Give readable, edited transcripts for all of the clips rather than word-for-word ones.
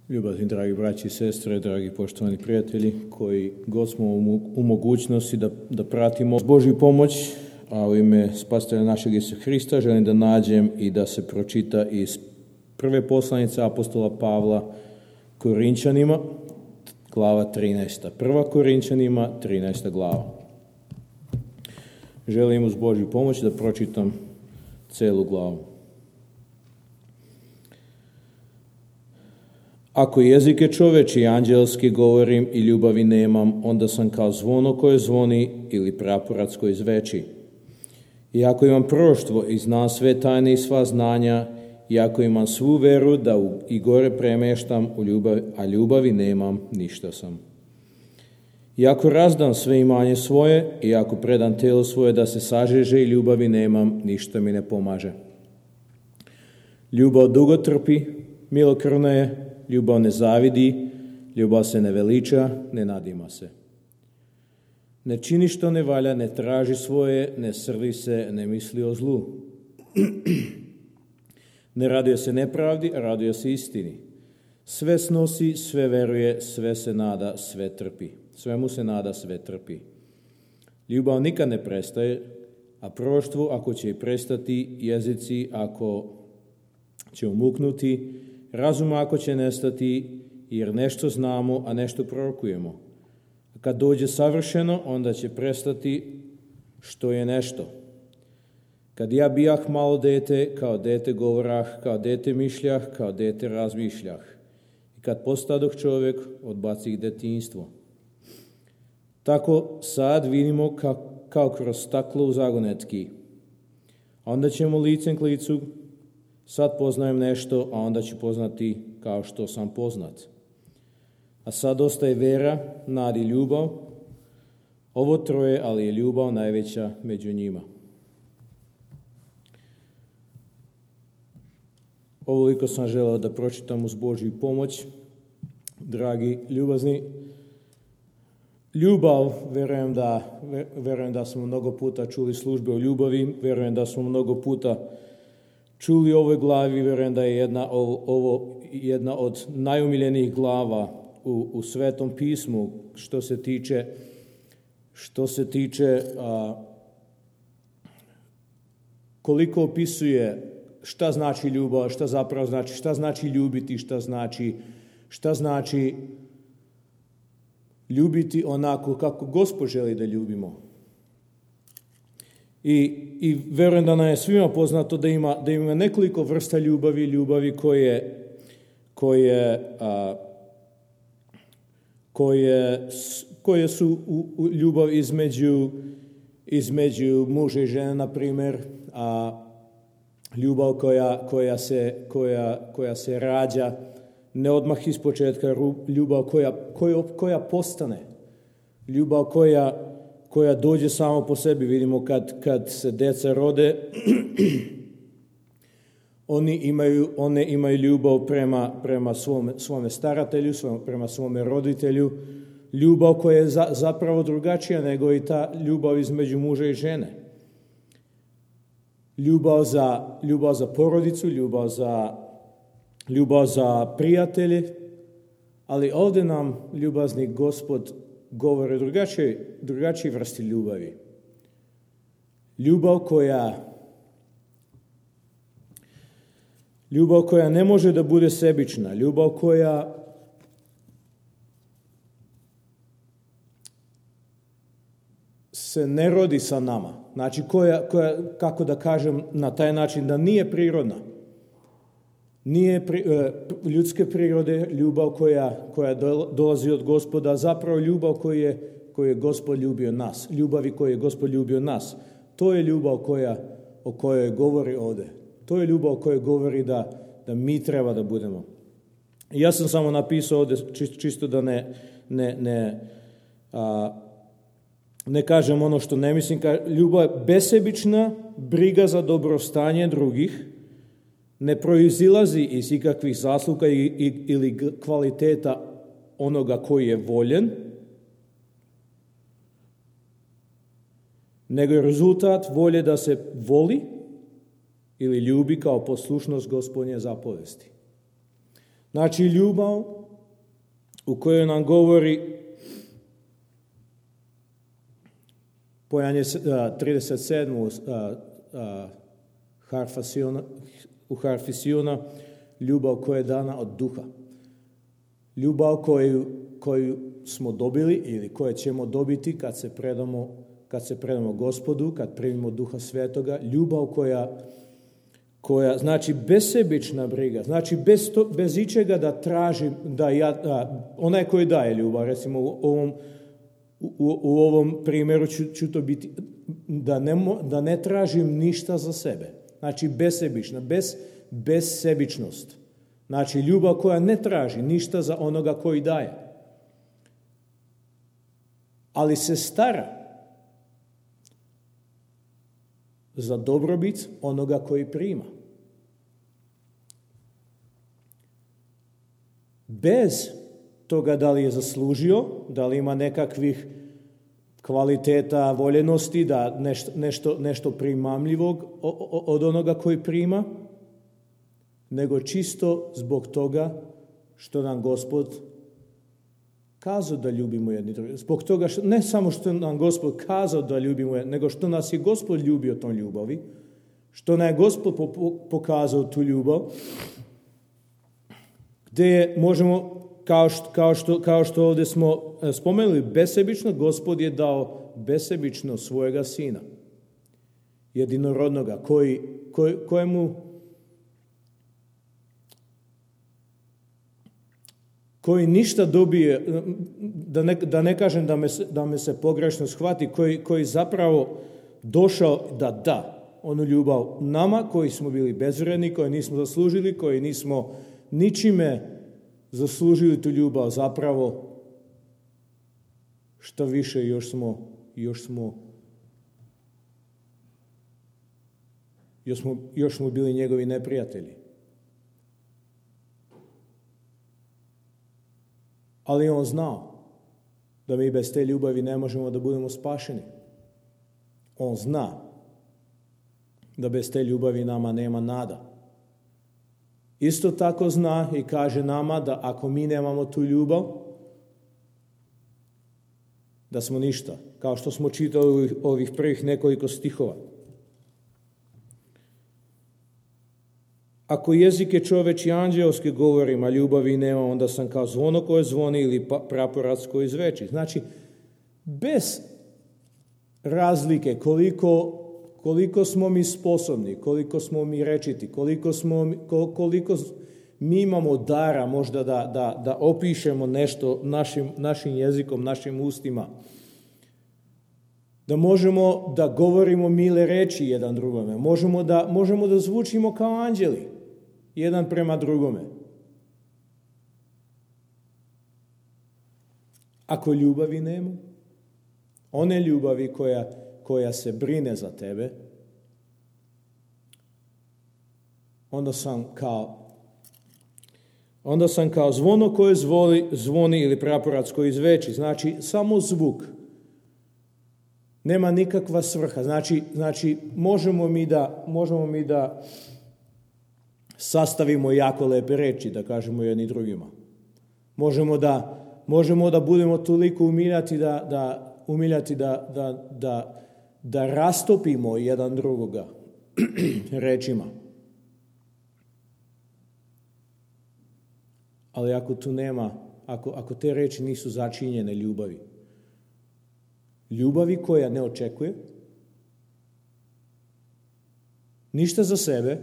Ljubazni dragi braći i sestre, dragi poštovani prijatelji, koji god smo u mogućnosti da pratimo Božju pomoć, a u ime Spasitelja našeg Isusa Hrista želim da nađem i da se pročita iz prve poslanice apostola Pavla Korinčanima, glava 13. Prva Korinčanima, 13. glava. Želim uz Božju pomoć da pročitam celu glavu. Ako jezike čoveči i anđelski govorim i ljubavi nemam, onda sam kao zvono koje zvoni ili praporac koji zveči. I ako imam proroštvo i znam sve tajne i sva znanja, i ako imam svu veru da i gore premeštam, a ljubavi nemam, ništa sam. I ako razdam sve imanje svoje, i ako predam telo svoje da se sažeže i ljubavi nemam, ništa mi ne pomaže. Ljubav dugo trpi, milokrvna je, ljubav ne zavidi, ljubav se ne veliča, ne nadima se. Ne čini što ne valja, ne traži svoje, ne srdi se, ne misli o zlu. Ne raduje se nepravdi, raduje se istini. Sve snosi, sve veruje, sve se nada, sve trpi. Svemu se nada, sve trpi. Ljubav nikad ne prestaje, a proroštvo ako će i prestati, jezici ako će umuknuti, razum ako će nestati, jer nešto znamo, a nešto prorokujemo. A kad dođe savršeno, onda će prestati što je nešto. Kad ja bijah malo dete, kao dete govorah, kao dete mišljah, kao dete razmišljah. I kad postadoh čovjek, odbacih detinjstvo. Tako sad vidimo kao kroz staklo u zagonetki. Onda ćemo licem k licu. Sad poznajem nešto, a onda ću poznati kao što sam poznat. A sad ostaje vera, nada i ljubav. Ovo troje, ali je ljubav najveća među njima. Ovoliko sam želeo da pročitam uz Božju pomoć. Dragi ljubazni, ljubav, verujem da smo mnogo puta čuli službe o ljubavi, verujem da smo mnogo puta čuli o ovoj glavi, verujem da je ovo jedna od najomiljenijih glava u Svetom pismu što se tiče koliko opisuje šta znači ljubav, šta zapravo znači, šta znači ljubiti, šta znači ljubiti onako kako Gospod želi da ljubimo. I verujem da nam je svima poznato da ima nekoliko vrsta ljubavi koje su ljubav između muža i žene, na primjer, ljubav koja se rađa ne odmah iz početka, ljubav koja postane, ljubav koja dođe samo po sebi. Vidimo kad se deca rode, one imaju ljubav prema svome staratelju, prema svome roditelju, ljubav koja je zapravo drugačija nego i ta ljubav između muža i žene. Ljubav za porodicu, ljubav za prijatelje, ali ovdje nam ljubazni Gospod govori drugačije vrsti ljubavi. Ljubav koja ne može da bude sebična, ljubav koja se ne rodi sa nama, znači koja, kako da kažem na taj način, da nije prirodna. Nije ljudske prirode, ljubav koja dolazi od Gospoda, zapravo ljubav koju je Gospod ljubio nas, ljubavi koju je Gospod ljubio nas. To je ljubav o kojoj govori ovdje. To je ljubav o kojoj govori da mi treba da budemo. I ja sam samo napisao ovdje, čisto da ne kažem ono što ne mislim. Ljubav je besebična, briga za dobrostanje drugih, ne proizilazi iz ikakvih zasluga ili kvaliteta onoga koji je voljen, nego je rezultat volje da se voli ili ljubi kao poslušnost Gospodnje zapovesti. Znači ljubav u kojoj nam govori Pojanje 37. U harfi Siona, ljubav koja je dana od duha. Ljubav koju smo dobili ili koje ćemo dobiti kad se predamo Gospodu, kad primimo Duha Svetoga. Ljubav koja znači besebična briga, znači bez ičega da tražim, onaj koji daje ljubav, recimo u ovom primjeru ću to biti, da ne tražim ništa za sebe. Znači besebična, bezsebičnost. Znači ljubav koja ne traži ništa za onoga koji daje. Ali se stara za dobrobit onoga koji prima. Bez toga da li je zaslužio, da li ima nekakvih kvaliteta, voljenosti, da nešto primamljivog od onoga koji prima, nego čisto zbog toga što nam Gospod kazao da ljubimo jedni drugi. Zbog toga što, ne samo što nam Gospod kazao da ljubimo, nego što nas je Gospod ljubio tom ljubavi, što nam je Gospod pokazao tu ljubav, gdje možemo, kao što ovdje smo spomenuli, besebično, Gospod je dao besebično svojega sina, jedinorodnoga, koji ništa dobije, da ne kažem da me se pogrešno shvati, koji zapravo došao da onu ljubav nama koji smo bili bezvredni, koji nismo zaslužili, koji nismo ničime zaslužili tu ljubav, zapravo što više još smo bili njegovi neprijatelji. Ali on znao da mi bez te ljubavi ne možemo da budemo spašeni. On zna da bez te ljubavi nama nema nada. Isto tako zna i kaže nama da ako mi nemamo tu ljubav, da smo ništa, kao što smo čitali ovih prvih nekoliko stihova. Ako jezike čoveči anđeoski govorim, a ljubavi nema, onda sam kao zvono koje zvoni ili praporac koji zveči. Znači, bez razlike koliko smo mi sposobni, koliko smo mi rečiti, koliko mi imamo dara možda da opišemo nešto našim jezikom, našim ustima, da možemo da govorimo mile reči jedan drugome, možemo da zvučimo kao anđeli jedan prema drugome. Ako ljubavi nema, one ljubavi koja se brine za tebe, onda sam kao zvono koje zvoni ili praporac koji zveči. Znači, samo zvuk. Nema nikakva svrha. Znači možemo mi da sastavimo jako lepe reči, da kažemo jedni drugima. Možemo da budemo toliko umiljati da rastopimo jedan drugoga rečima. Ali ako tu nema, ako te reči nisu začinjene ljubavi koja ne očekuje ništa za sebe,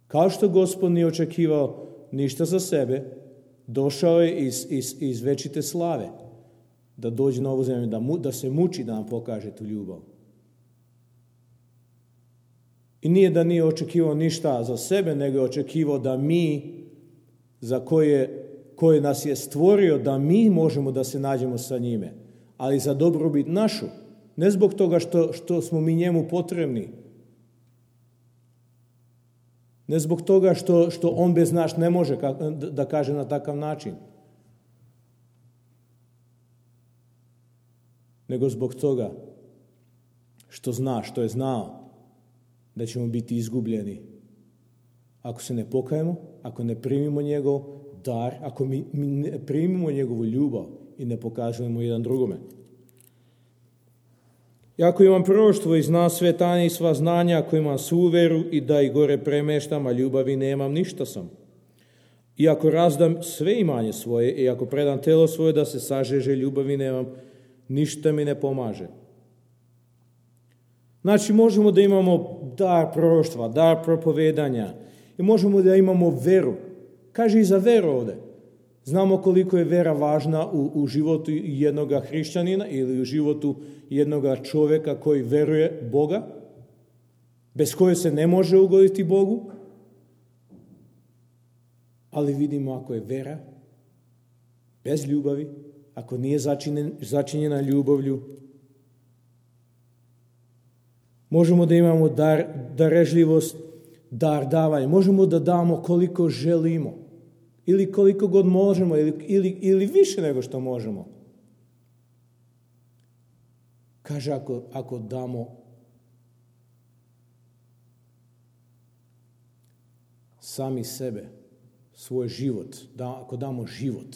kao što Gospod nije očekivao ništa za sebe, došao je iz večite slave da dođe na ovu zemlju, da se muči da nam pokaže tu ljubav. I nije da nije očekivao ništa za sebe, nego je očekivao da mi, za koje nas je stvorio, da mi možemo da se nađemo sa njime, ali za dobrobit našu, ne zbog toga što smo mi njemu potrebni, ne zbog toga što on bez nas ne može, da kaže na takav način, nego zbog toga što je znao da ćemo biti izgubljeni ako se ne pokajemo, ako ne primimo njegov dar, ako mi ne primimo njegovu ljubav i ne pokažemo jedan drugome. Ako imam proroštvo i zna sve tajne i sva znanja, ako imam svu veru i da i gore premeštam, a ljubavi nemam, ništa sam. I ako razdam sve imanje svoje i ako predam telo svoje da se sažeže, ljubavi nemam, ništa mi ne pomaže. Znači, možemo da imamo dar proroštva, dar propovedanja i možemo da imamo veru. Kaže i za veru ovde. Znamo koliko je vera važna u životu jednog hrišćanina ili u životu jednog čovjeka koji veruje Boga, bez koje se ne može ugoditi Bogu. Ali vidimo, ako je vera bez ljubavi, ako nije začinjena ljubavlju, možemo da imamo darežljivost, dar davanja. Možemo da damo koliko želimo ili koliko god možemo ili više nego što možemo. Kaže, ako damo sami sebe, svoj život, ako damo život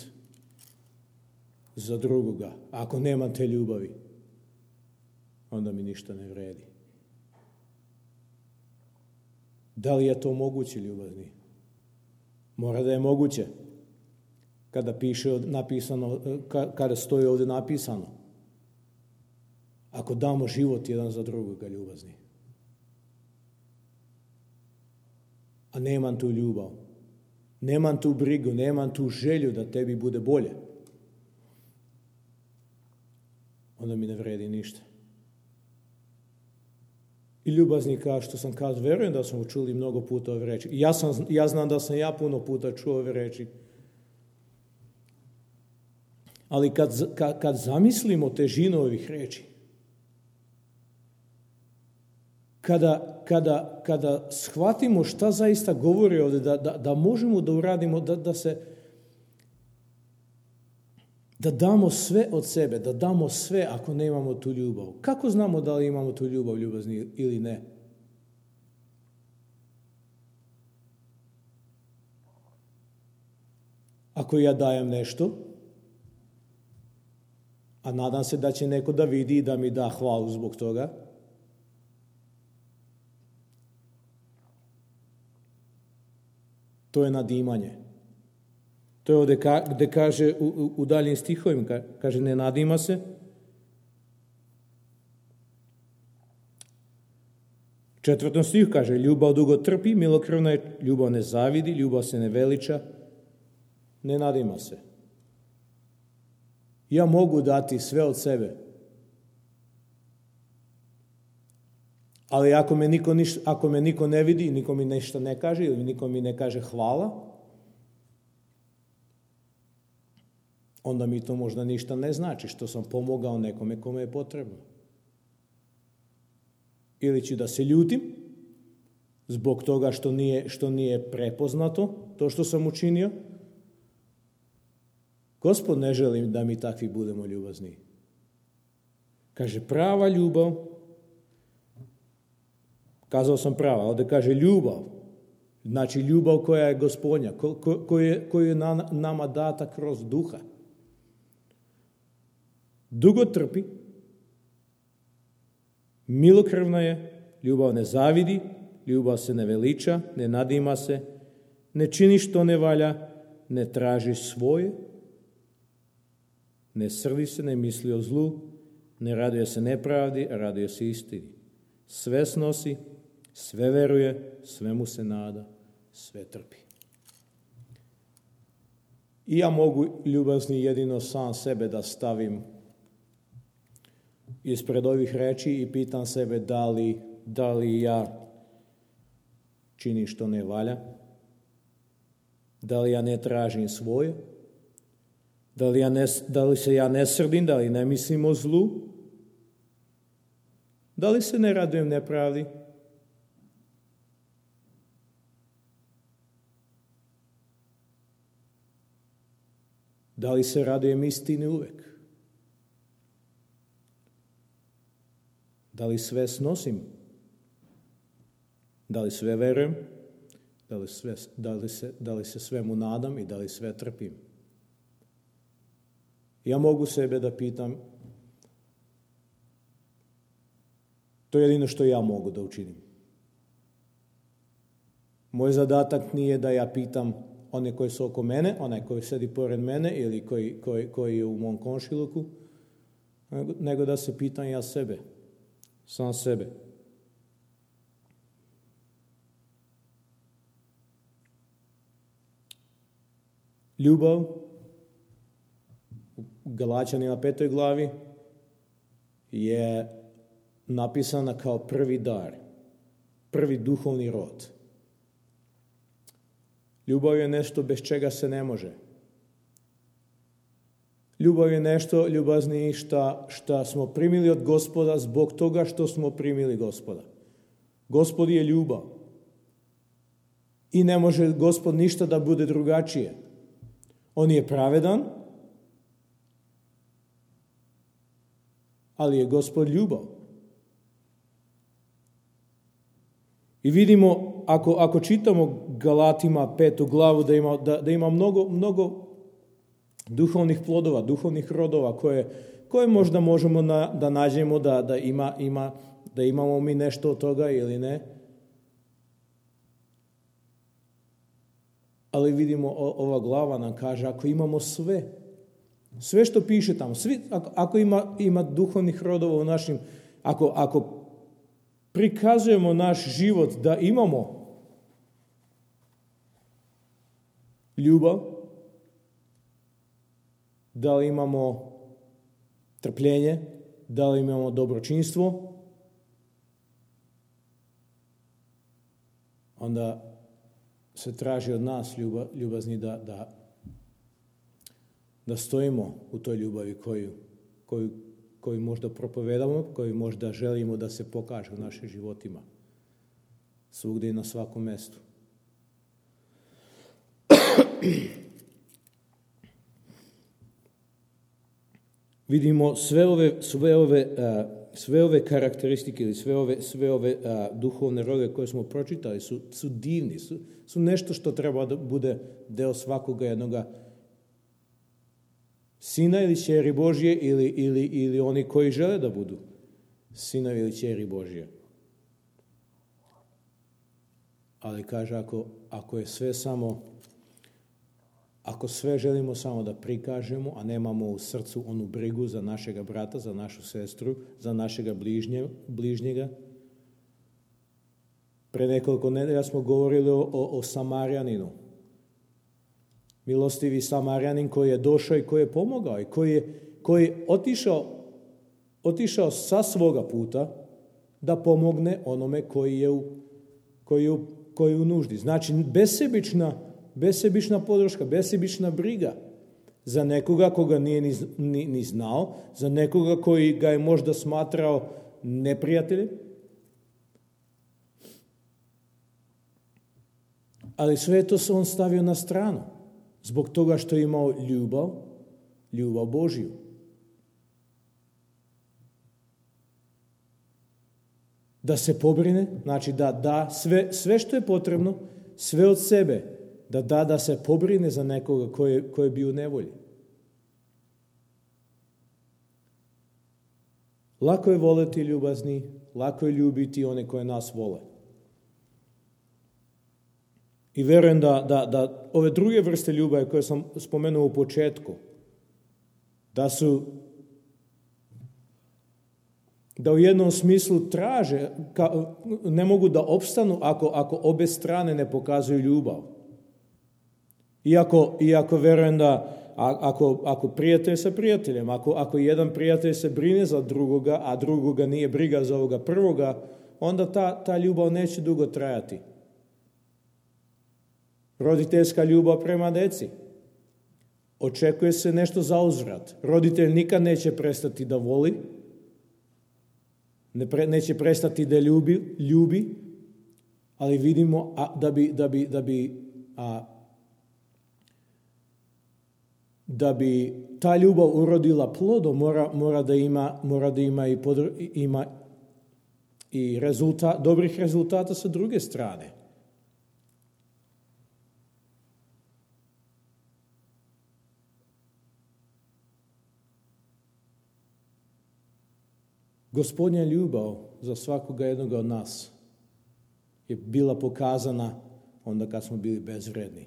za drugoga, ako nema te ljubavi, onda mi ništa ne vredi. Da li je to moguće, ljubazni? Mora da je moguće. Kada stoji ovdje napisano. Ako damo život jedan za drugoga, ljubazni. A nemam tu ljubav. Nemam tu brigu, nemam tu želju da tebi bude bolje. Onda mi ne vredi ništa. I ljubazni, kao što sam kazao, verujem da smo čuli mnogo puta ove reči. Ja znam da sam puno puta čuo ove reči. Ali kad zamislimo težinu ovih reči, kada shvatimo šta zaista govori ovdje, da možemo da uradimo, da damo sve od sebe, da damo sve ako nemamo tu ljubav. Kako znamo da li imamo tu ljubav, ljubazni, ili ne? Ako ja dajem nešto, a nadam se da će neko da vidi i da mi da hvalu zbog toga, to je nadimanje. To je ovdje gde kaže u daljim stihovima, kaže ne nadima se. Četvrtom stihu kaže ljubav dugo trpi, milokrvna je, ljubav ne zavidi, ljubav se ne veliča, ne nadima se. Ja mogu dati sve od sebe, ali ako me niko ne vidi, niko mi nešto ne kaže ili niko mi ne kaže hvala, onda mi to možda ništa ne znači što sam pomogao nekome kome je potrebno. Ili ću da se ljutim zbog toga što nije prepoznato to što sam učinio. Gospod ne želi da mi takvi budemo ljubazni. Kaže prava ljubav, kazao sam prava, ovdje kaže ljubav, znači ljubav koja je Gospodnja, koju je nama data kroz duha. Dugo trpi, milokrvna je, ljubav ne zavidi, ljubav se ne veliča, ne nadima se, ne čini što ne valja, ne traži svoje, ne srdi se, ne misli o zlu, ne raduje se nepravdi, a raduje se istini. Sve snosi, sve veruje, svemu se nada, sve trpi. I ja mogu, ljubazni, jedino sam sebe da stavim ispred ovih reči i pitam sebe da li ja činim što ne valja, da li ja ne tražim svoje, da li se ja ne srdim, da li ne mislim o zlu, da li se ne radujem nepravdi. Da li se radujem istini uvek? Da li sve snosim? Da li sve verujem? Da li se svemu nadam i da li sve trpim? Ja mogu sebe da pitam, to je jedino što ja mogu da učinim. Moj zadatak nije da ja pitam one koji su oko mene, onaj koji sedi pored mene ili koji je u mom komšiluku, nego da se pitam ja sebe, sam sebe. Ljubav u Galačanima 5. glavi je napisana kao prvi dar, prvi duhovni rod. Ljubav je nešto bez čega se ne može. Ljubav je nešto, ljubazni, šta smo primili od Gospoda zbog toga što smo primili Gospoda. Gospod je ljubav. I ne može Gospod ništa da bude drugačije. On je pravedan, ali je Gospod ljubav. I vidimo, ako čitamo Galatima 5. glavu, da ima mnogo duhovnih plodova, duhovnih rodova koje možda možemo da nađemo da imamo mi nešto od toga ili ne. Ali vidimo, ova glava nam kaže, ako imamo sve što piše tamo, ako ima duhovnih rodova u našim, ako prikazujemo naš život da imamo ljubav, da li imamo trpljenje, da li imamo dobročinstvo, onda se traži od nas ljubazni da stojimo u toj ljubavi koju možda propovedamo, koju možda želimo da se pokaže u našim životima. Svugdje i na svakom mestu. Vidimo sve ove karakteristike ili sve ove duhovne rodove koje smo pročitali su divni, su nešto što treba da bude deo svakoga jednoga sina ili ćeri Božje ili oni koji žele da budu sinovi ili ćeri Božje. Ali kaže, ako je sve ako sve želimo samo da prikažemo, a nemamo u srcu onu brigu za našega brata, za našu sestru, za našega bližnjega. Pre nekoliko nedelja smo govorili o Samarjaninu. Milostivi Samarjanin koji je došao i koji je pomogao i koji je otišao sa svoga puta da pomogne onome koji je u nuždi. Znači, besebična podrška, besebična briga za nekoga koga nije ni znao, za nekoga koji ga je možda smatrao neprijateljem. Ali sve to se on stavio na stranu, zbog toga što je imao ljubav Božju. Da se pobrine, znači da da sve što je potrebno, sve od sebe, da se pobrine za nekoga koji je bio u nevolji. Lako je voleti ljubazni, lako je ljubiti one koje nas vole. I verujem da ove druge vrste ljubavi koje sam spomenuo u početku, da u jednom smislu traže, ne mogu da opstanu ako obe strane ne pokazuju ljubav. Iako verujem da ako prijatelj sa prijateljem, ako jedan prijatelj se brine za drugoga, a drugoga nije briga za ovoga prvoga, onda ta ljubav neće dugo trajati. Roditeljska ljubav prema deci. Očekuje se nešto za uzvrat. Roditelj nikad neće prestati da voli, neće prestati da ljubi, ali vidimo da bi ta ljubav urodila plodom, mora da ima i dobrih rezultata sa druge strane. Gospodnja ljubav za svakoga jednoga od nas je bila pokazana onda kad smo bili bezvredni.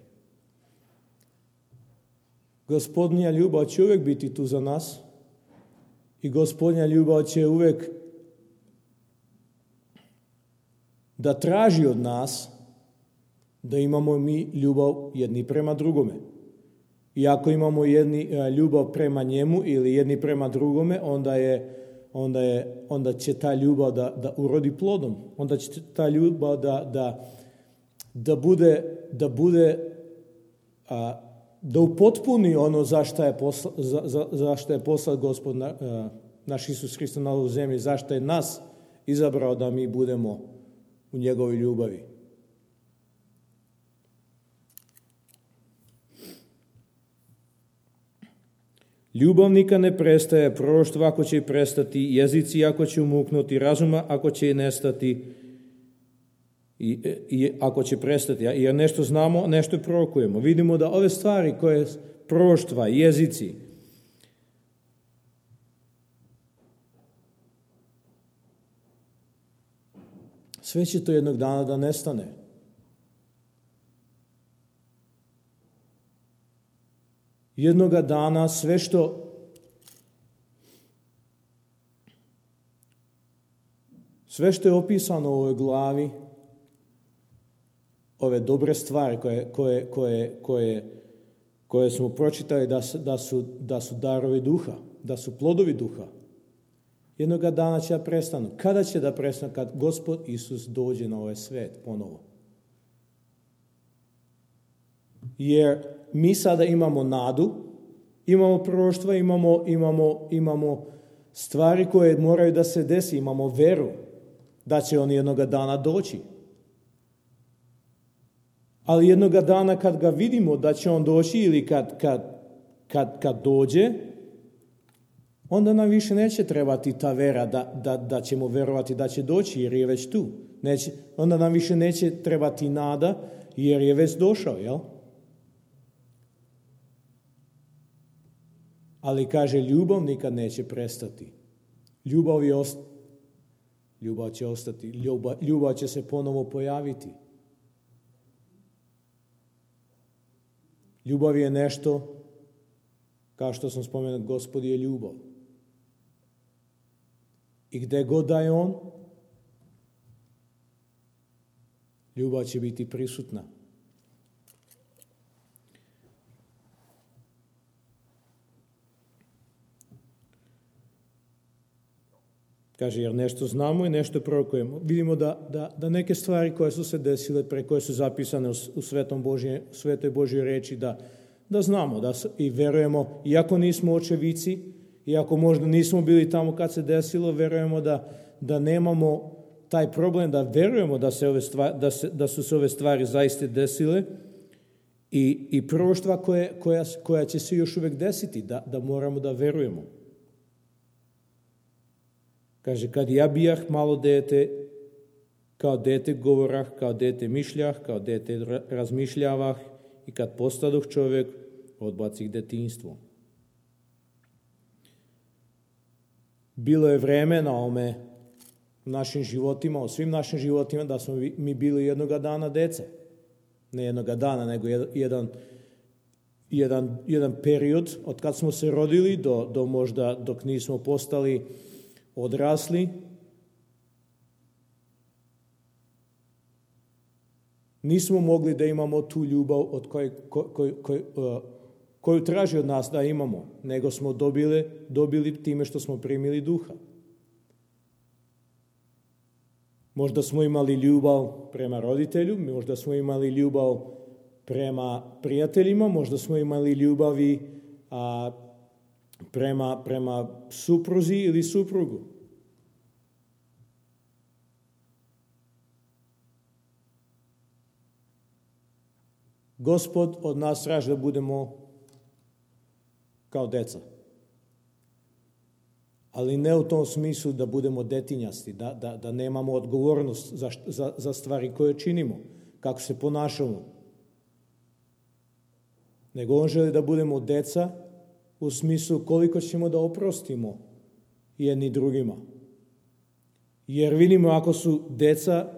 Gospodnja ljubav će uvijek biti tu za nas i Gospodnja ljubav će uvijek da traži od nas da imamo mi ljubav jedni prema drugome. I ako imamo ljubav prema njemu ili jedni prema drugome, onda će ta ljubav da urodi plodom. Onda će ta ljubav da upotpuni ono zašto je poslao Gospod naš Isus Hristos na ovu zemlju, zašto je nas izabrao da mi budemo u njegovoj ljubavi. Ljubav nikad ne prestaje, proroštvo ako će i prestati, jezici ako će umuknuti, razuma ako će i nestati, i ako će prestati, jer nešto znamo, nešto prorokujemo. Vidimo da ove stvari koje proroštva, jezici, sve će to jednog dana da nestane. Jednoga dana sve što je opisano u ovoj glavi, ove dobre stvari koje smo pročitali da su darovi duha, da su plodovi duha, jednoga dana će da prestanu. Kada će da prestanu? Kad Gospod Isus dođe na ovaj svet ponovo. Jer mi sada imamo nadu, imamo proroštva, imamo stvari koje moraju da se desi, imamo veru da će on jednoga dana doći. Ali jednoga dana kad ga vidimo da će on doći ili kad dođe, onda nam više neće trebati ta vera da ćemo verovati da će doći jer je već tu. Onda nam više neće trebati nada jer je već došao, jel? Ali kaže, ljubav nikad neće prestati. Ljubav će ostati. Ljubav će se ponovo pojaviti. Ljubav je nešto, kao što sam spomenuo, Gospod je ljubav. I gde god da je on, ljubav će biti prisutna. Kaže, jer nešto znamo i nešto prorokujemo. Vidimo da neke stvari koje su se desile, koje su zapisane u Svetoj Božjoj reči, da znamo i verujemo, iako nismo očevici, iako možda nismo bili tamo kad se desilo, verujemo da nemamo taj problem, da verujemo da su se ove stvari zaista desile i proroštva koja će se još uvijek desiti, da moramo da verujemo. Kaže, kad ja bijah malo dete, kao dete govorah, kao dete mišljah, kao dete razmišljavah i kad postadoh čovjek, odbacih detinjstvo. Bilo je vreme na ome u našim životima, u svim našim životima, da smo mi bili jednoga dana dece. Ne jednoga dana, nego jedan period od kad smo se rodili do možda dok nismo postali odrasli. Nismo mogli da imamo tu ljubav od koju traži od nas da imamo, nego smo dobili time što smo primili duha. Možda smo imali ljubav prema roditelju, možda smo imali ljubav prema prijateljima, možda smo imali ljubavi prema supruzi ili suprugu. Gospod od nas traži da budemo kao deca. Ali ne u tom smislu da budemo detinjasti, da nemamo odgovornost za stvari koje činimo, kako se ponašamo. Nego on želi da budemo deca u smislu koliko ćemo da oprostimo jedni drugima. Jer vidimo ako su deca,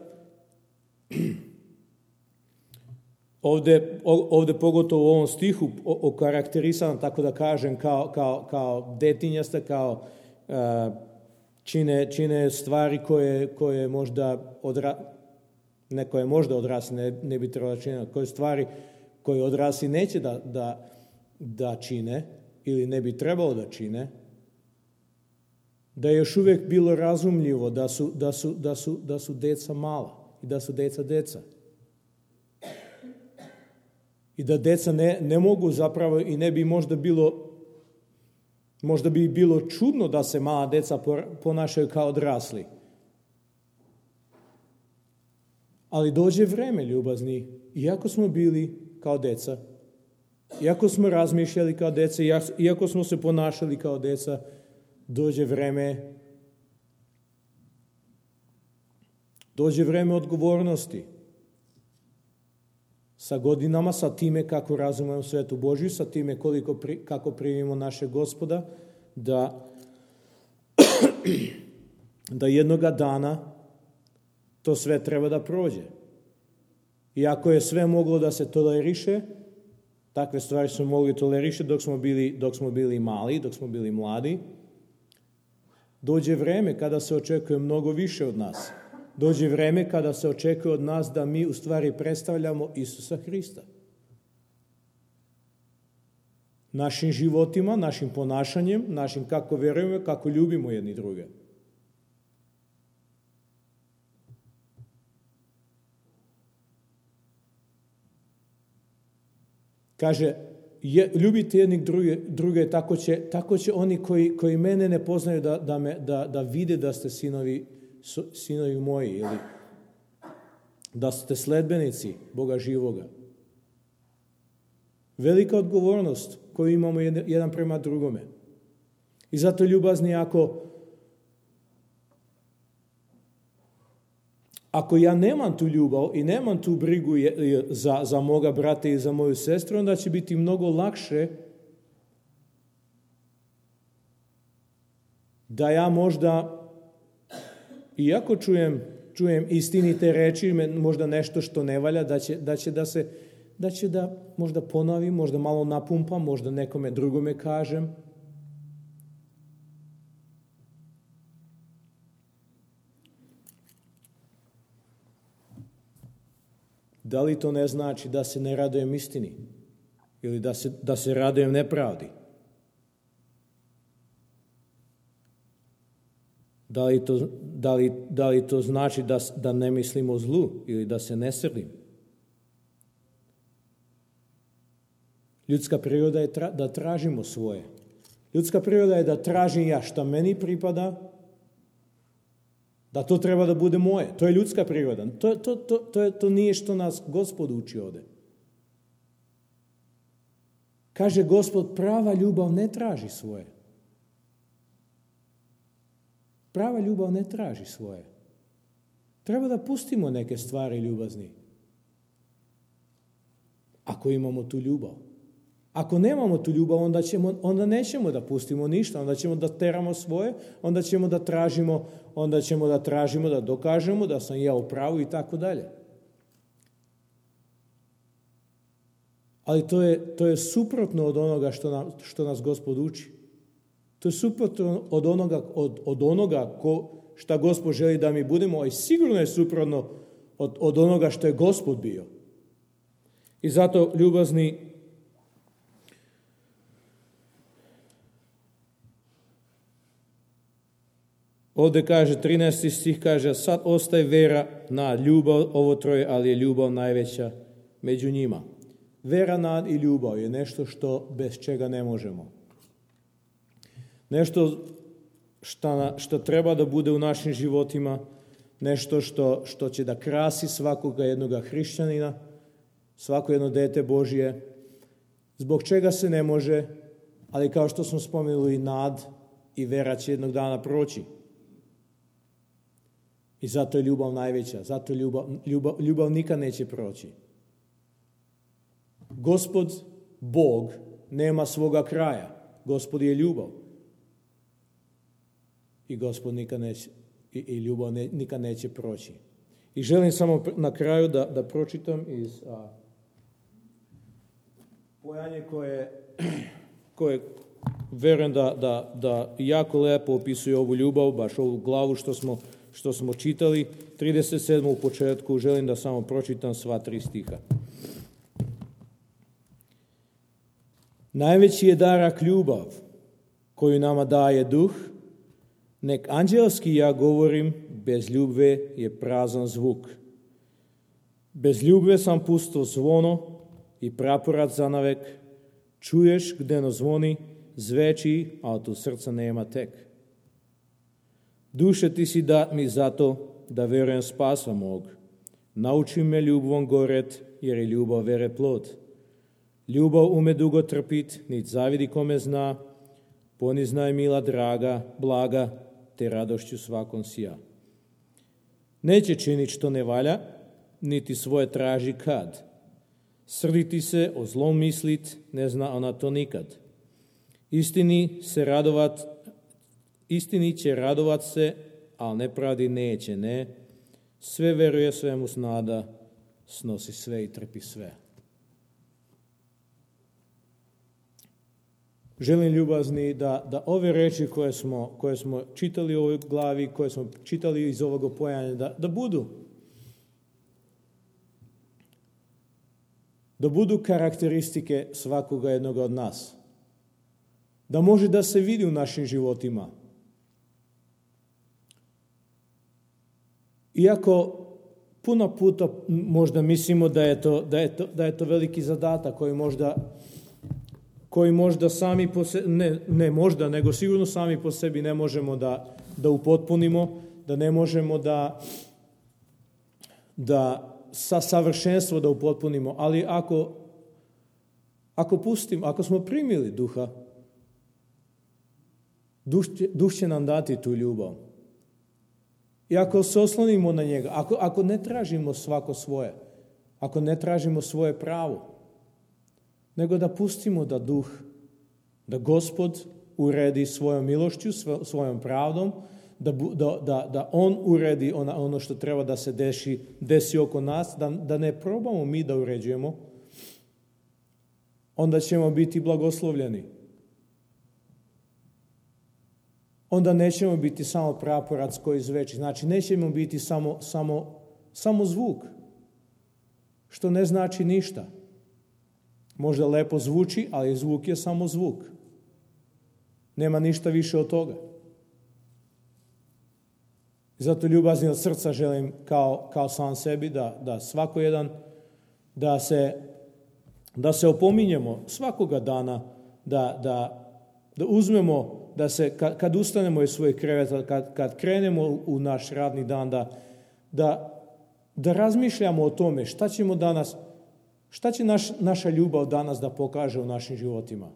ovdje pogotovo u ovom stihu okarakterisano, tako da kažem, kao detinjasta, kao čine stvari koje možda koje možda odrasli ne bi trebalo činiti, koje stvari koje odrasli neće da čine ili ne bi trebalo da čine, da je još uvijek bilo razumljivo da su deca mala i da su deca. I da deca ne mogu zapravo i ne bi možda bi bilo čudno da se mala deca ponašaju kao odrasli. Ali dođe vreme, ljubazni, iako smo bili kao deca, iako smo razmišljali kao deca, iako smo se ponašali kao deca, dođe vreme odgovornosti. Sa godinama, sa time kako razumemo svetu Božju, sa time kako primimo našeg Gospoda, da jednoga dana to sve treba da prođe. I ako je sve moglo da se toleriše, takve stvari smo mogli toleriše dok smo bili mali, dok smo bili mladi, dođe vreme kada se očekuje mnogo više od nas. Dođe vreme kada se očekuje od nas da mi u stvari predstavljamo Isusa Hrista. Našim životima, našim ponašanjem, našim kako verujemo, kako ljubimo jedni druge. Kaže, ljubite jedni druge, tako će oni koji mene ne poznaju da vide da ste sinovi moji, ili da ste sledbenici Boga živoga. Velika odgovornost koju imamo jedan prema drugome. I zato, ljubazni, ako ja nemam tu ljubav i nemam tu brigu za moga brata i za moju sestru, onda će biti mnogo lakše da ja možda, iako čujem istinite reči, možda nešto što ne valja, da će da možda ponovim, možda malo napumpam, možda nekome drugome kažem. Da li to ne znači da se ne radujem istini ili da se radujem nepravdi? Da li to znači da ne mislim o zlu ili da se ne srdim? Ljudska priroda je da tražimo svoje. Ljudska priroda je da tražim ja šta meni pripada, da to treba da bude moje. To je ljudska priroda. To nije što nas Gospod uči ovde. Kaže Gospod, prava ljubav ne traži svoje. Prava ljubav ne traži svoje. Treba da pustimo neke stvari, ljubazni. Ako imamo tu ljubav. Ako nemamo tu ljubav, onda nećemo da pustimo ništa, onda ćemo da teramo svoje, onda ćemo da tražimo, da dokažemo da sam ja u pravu i tako dalje. Ali to je suprotno od onoga što nas Gospod uči. To je suprotno od onoga šta Gospod želi da mi budemo, a sigurno je suprotno od onoga što je Gospod bio. I zato, ljubazni, ovdje kaže, 13. stih kaže, sad ostaje vera, nad, ljubav, ovo troje, ali je ljubav najveća među njima. Vera, nad i ljubav je nešto bez čega ne možemo. Nešto što treba da bude u našim životima, nešto što će da krasi svakoga jednoga hrišćanina, svako jedno dete Božje, zbog čega se ne može, ali kao što smo spomenuli, nad i vera će jednog dana proći. I zato je ljubav najveća, zato ljubav nikad neće proći. Gospod, Bog, nema svoga kraja. Gospod je ljubav. I Gospod nikad neće, i ljubav nikad neće proći. I želim samo na kraju da pročitam iz pojanje koje verujem da jako lepo opisuje ovu ljubav, baš ovu glavu što smo čitali. 37. u početku, želim da samo pročitam sva 3 stiha. Najveći je darak ljubav koju nama daje duh, nek anđelski ja govorim, bez ljubve je prazan zvuk. Bez ljubve sam pusto zvono i praporac zanavek, čuješ gdeno zvoni, zveči, a od srca nema tek. Duše ti si dat mi zato, da verujem spasa mog. Nauči me ljubvom goret, jer je ljubav vere plod. Ljubav ume dugo trpit, nit zavidi kome zna, ponizna je mila draga, blaga, te radošću svakom sija. Neće činit što ne valja, niti svoje traži kad. Srditi se, o zlom mislit, ne zna ona to nikad. Istini će radovat se, ali nepravdi neće, ne. Sve veruje, svemu snada, snosi sve i trpi sve. Želim ljubazni da ove reči koje smo čitali u ovoj glavi, koje smo čitali iz ovog pojanja, da budu karakteristike svakoga jednog od nas. Da može da se vidi u našim životima. Iako puno puta možda mislimo da je to veliki zadatak koji možda sami po sebi, ne možda, nego sigurno sami po sebi ne možemo da upotpunimo, da ne možemo da sa savršenstvo da upotpunimo, ali ako smo primili duha, duh će nam dati tu ljubav. I ako se oslonimo na njega, ako ne tražimo svako svoje, ako ne tražimo svoje pravo, nego da pustimo da Gospod uredi svojom milošću, svojom pravdom, da On uredi ono što treba da se desi oko nas, da ne probamo mi da uređujemo, onda ćemo biti blagoslovljeni. Onda nećemo biti samo praporac koji zveči. Znači, nećemo biti samo zvuk, što ne znači ništa. Možda lepo zvuči, ali zvuk je samo zvuk. Nema ništa više od toga. Zato od srca želim kao sam sebi da svako jedan, da se opominjemo svakoga dana, da uzmemo, da se kad ustanemo iz svojeg kreveta, kad krenemo u naš radni dan, da razmišljamo o tome šta ćemo danas, šta će naša ljubav danas da pokaže u našim životima.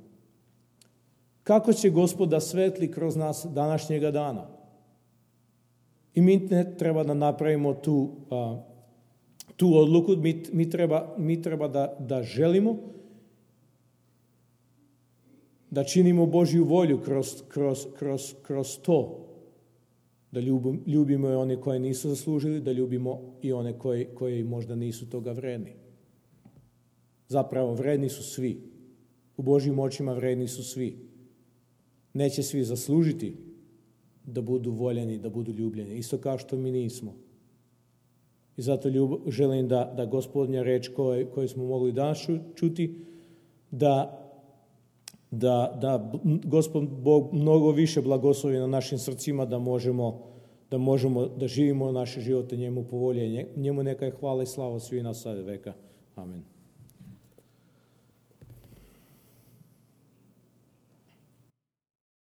Kako će Gospod da svetli kroz nas današnjega dana. I mi ne treba da napravimo tu odluku, mi treba da želimo, da činimo Božju volju kroz to, da ljubimo i one koje nisu zaslužili, da ljubimo i one koji možda nisu toga vredni. Zapravo, vredni su svi. U Božjim očima vredni su svi. Neće svi zaslužiti da budu voljeni, da budu ljubljeni. Isto kao što mi nismo. I zato želim da Gospodnja reč koju smo mogli danas čuti, da Gospod Bog mnogo više blagoslovi na našim srcima, da možemo da živimo naše živote njemu po volji. Njemu neka je hvala i slava svi na sada veka. Amen.